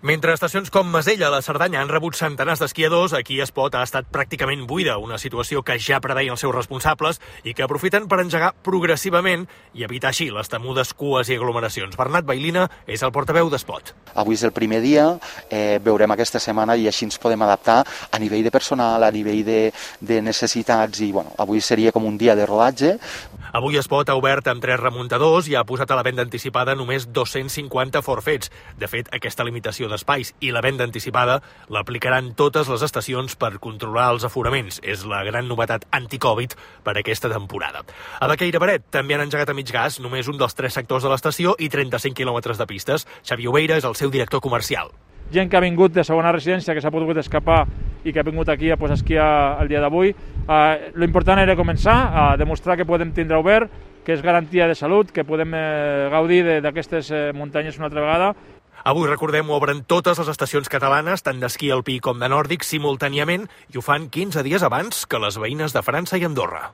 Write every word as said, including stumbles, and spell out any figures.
Mentre estacions com Masella a la Cerdanya han rebut centenars d'esquiadors, aquí Espot ha estat pràcticament buida, una situació que ja preveien els seus responsables i que aprofiten per engegar progressivament i evitar així les temudes cues i aglomeracions. Bernat Bailina és el portaveu d'Espot. Avui és el primer dia, eh, veurem aquesta setmana i així ens podem adaptar a nivell de personal, a nivell de, de necessitats i bueno, avui seria com un dia de rodatge. Avui Espot ha obert amb tres remuntadors i ha posat a la venda anticipada només dos-cents cinquanta forfets. De fet, aquesta limitació d'espais i la venda anticipada l'aplicaran totes les estacions per controlar els aforaments. És la gran novetat anti-Covid per aquesta temporada. A Baqueira Beret també han engegat a mig gas només un dels tres sectors de l'estació i trenta-cinc quilòmetres de pistes. Xavi Obeira és el seu director comercial. Gent que ha vingut de segona residència, que s'ha pogut escapar i que ha vingut aquí a pues, esquiar el dia d'avui. Eh, L'important era començar a demostrar que podem tindre obert, que és garantia de salut, que podem eh, gaudir d'aquestes eh, muntanyes una altra vegada. Avui, recordem, obren totes les estacions catalanes, tant d'esquí alpí com de nòrdic, simultàniament, i ho fan quinze dies abans que les veïnes de França i Andorra.